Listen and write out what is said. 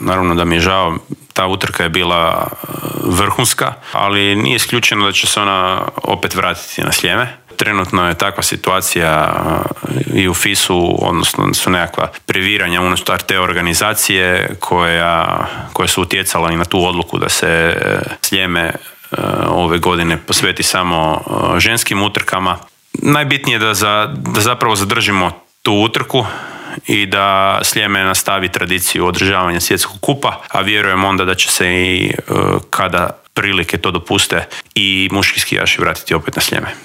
naravno da mi je žao, ta utrka je bila vrhunska, ali nije isključeno da će se ona opet vratiti na Sljeme. Trenutno je takva situacija i u FIS-u, odnosno su nekakva previranja unutar te organizacije koje su utjecala i na tu odluku da se Sljeme ove godine posveti samo ženskim utrkama. Najbitnije je da zapravo zadržimo tu utrku i da Sljeme nastavi tradiciju održavanja svjetskog kupa, a vjerujem onda da će se i kada prilike to dopuste i muški skijaši vratiti opet na Sljeme.